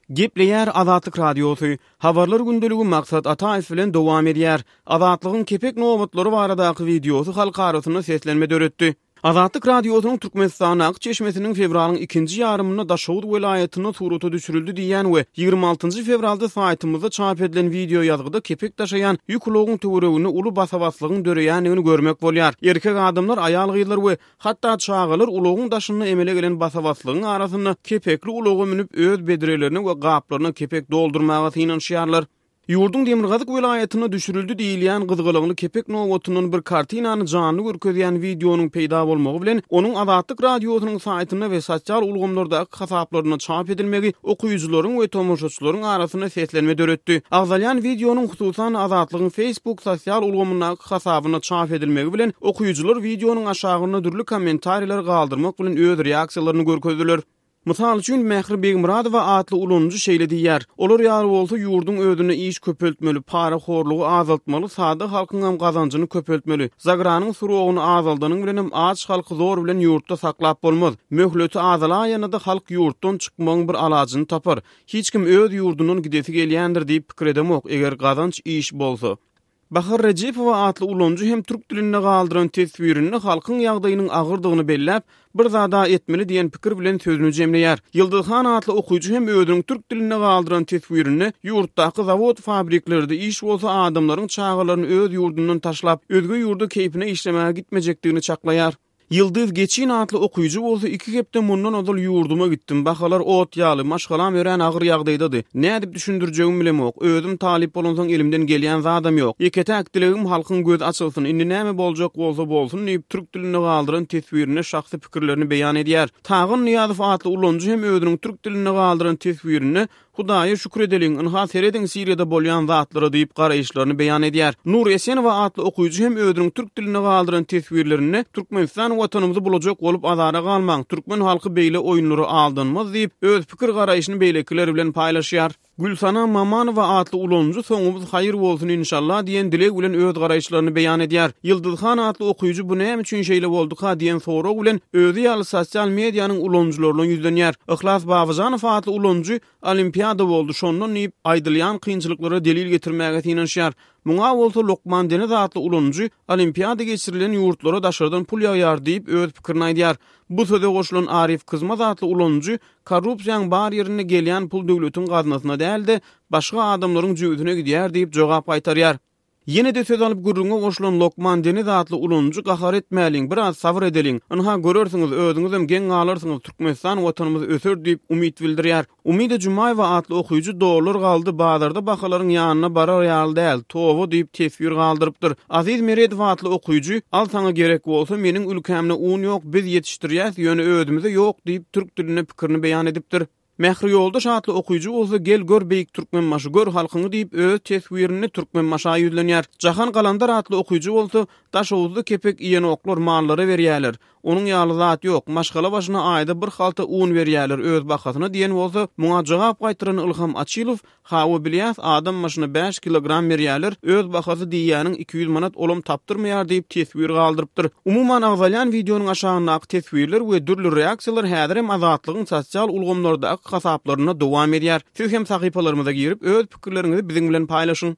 Gepleýär Azatlyk Radiosy, Habarlar gündeligi Maksat Ataýew bilen dowam edýär. Azatlygyň kepek nobatlary baradaky wideosy halk arasynda seslenme döretdi. Azatlyk Radiosynyň Türkmenistandaky çeşmesiniň fewralyň ikinji ýarymynda Daşoguz welaýatynda surata düşürildi diýýän we 26 fewralda saýtymyzda çap edilen wideoýazgyda kepek daşaýan ýük ulagyň töwereginde uly basa-baslygyň döreýändigini görmek bolýar. Erkek adamlar, aýal-gyzlar we Hatda çagalar ulagyň daşynda emele gelen basa-baslygyň arasynda kepekli ulaga münüp, öz bedrelerine we gaplaryna kepek doldurmaga synanyşýarlar. Ýurduň demirgazyk welaýatynda düşürildi diýilýän gyzgalaňly kepek nobatyndan bir kartinany janly görkezýän wideonyň peýda bolmagy bilen, onuň Azatlyk Radiosynyň saýtynda we sosial ulgamlardaky hasaplarynda çap edilmegi okyjylaryň we tomaşaçylaryň arasynda seslenme döretdi. Agzalýan wideonyň hususan Azatlygyň Facebook sosial ulgamyndaky hasabynda çap edilmegi bilen, okyjylar wideonyň aşagynda dürli kommentariýalar galdyrmak bilen öz reaksiýalaryny görkezdiler. Mysal üçin, Mähri Begmyradowa atly ulanyjy şeýle diýýär, Olar ýaly bolsa ýurduň özünde iş köpeltmeli, parahorlugy azaltmaly, sada halkyňam gazanjyny köpeltmeli. Zagranyň srogyny azaldanyň bilenem aç halky zor bilen ýurtda saklap bolmaz. Möhleti azalaýanda-da halk ýurtdan çykmagyň bir alajyny tapar. Hiç kim öz ýurdundan gidesi gelýändir diýip pikir edemok, eger gazanç iş bolsa. Bahar Rejepowa atly ulanyjy hem türk dilinde galdyran teswirinde halkyň ýagdaýynyň agyrdygyny belläp, bir zada etmeli diýen pikir bilen sözüni jemleýär. Ýyldyz han atly okyjy hem özüniň türk dilinde galdyran teswirinde ýurtdaky zawod-fabriklerde iş bolsa adamlaryň çagalaryny öz ýurdundan taşlap, özge ýurda keýpine işlemäge gitmejekdigini çaklaýar. Ýyldyz Geçin atly okyjy bolsa iki hepde mundan ozal ýurduma gitdim, bahalar ot ýaly, maşgalam örän agyr ýagdaýdady. Nädip düşündirjegimi bilemok. Özüm talyp bolansoň elimden gelýän zadam ýok. Ýeke-täk dilegim halkyň gözi açylsyn, indi näme boljak bolsa bolsun diýip, türk dilinde galdyran teswirinde şahsy pikirlerini beýan edýär. Tagan Nyýazow atly ulanyjy hem özüniň türk dilinde galdyran teswirinde Hudaýa şükür edeliň, ynha serediň Siriýada bolýan zatlara diýip garaýyşlaryny beýan edýär. Nur Esenowa atly okyjy hem özüniň türk dilinde galdyran teswirlerinde Türkmenistan watanymyzy bulajak bolup azara galmaň, türkmen halky beýle oýunlara aldanmaz diýip, öz pikir-garaýşyny beýlekiler bilen paýlaşýar. Gülsana Mamanowa atly ulanyjy Soňumyz haýyr bolsun inşallah diýen dileg bilen öz garaýyşlaryny beýan edýär. Ýyldyz han atly okyjy bu näme üçin şeýle bolduka diýen sorag bilen özi ýaly sosial medianyň ulanyjylaryna ýüzlenýär. Yhlas Babajanow atly ulanyjy Olimpiada boldy şondan diýip, aýdylýan kynçylyklara delil getirmäge synanyşýar. Muňa bolsa Lokman Deniz atly ulanyjy Olimpiada geçirilen ýurtlara daşardan pul ýagýar diýip, öz pikirini aýdýar. Bu söze goşulan Arif Kyzmaz atly ulanyjy Korrupsiýaň bar ýerinde gelýän pul döwletiň gaznasyna däl-de, başga adamlaryň jübüsine gidýär diýip jogap gaýtarýar. Ýene-de söz alyp gürrüňe goşulan Lokman Deniz atly ulanyjy gahar etmäliň, biraz sabyr edeliň. Ynha görersiňiz, özüňizem geň galarsyňyz, Türkmenistan watanymyz öser diýip umyt bildirýär. Umyda Jumaýewa atly okyjy dollar galdy, bazarda bahalaryň ýanyna barar ýaly däl, toba diýip teswir galdyrypdyr. Aziz Meredow atly okyjy al saňa gerek bolsa, meniň ülkämde un ýok, biz ýetişdirýäs, ýöne özümize ýok diýip türk dilinde pikirini beýan edipdir. Mähri Ýoldaş atly okyjy bolsa Gel gör beýik Türkmenbaşy gör halkyňy diýip öz teswirinde Türkmenbaşa ýüzlenýär. Jahan Galandar atly okyjy bolsa Daşoguzda kepek iýenoklar mallara berýäler. Onuň ýaly zat ýok. Maşgala başyna aýda bir halta un berýäler öz bahasyna diýen bolsa, muňa jogap gaýtaran Ylham Açylow Hawa bilýäs adam başyna bäş kilogram berýäler, öz bahasy diýýäniň 200 manat olam tapdyrmaýar diýip teswir galdyrypdyr. Umuman agzalýan wideonyň aşagyndaky teswirler we dürli reaksiýalar häzirem Azatlygyň sosial ulgamlardaky hasaplarynda dowam edýär. Siz hem sahypalarymyza girip öz pikirleriňizi biziň bilen paýlaşyň.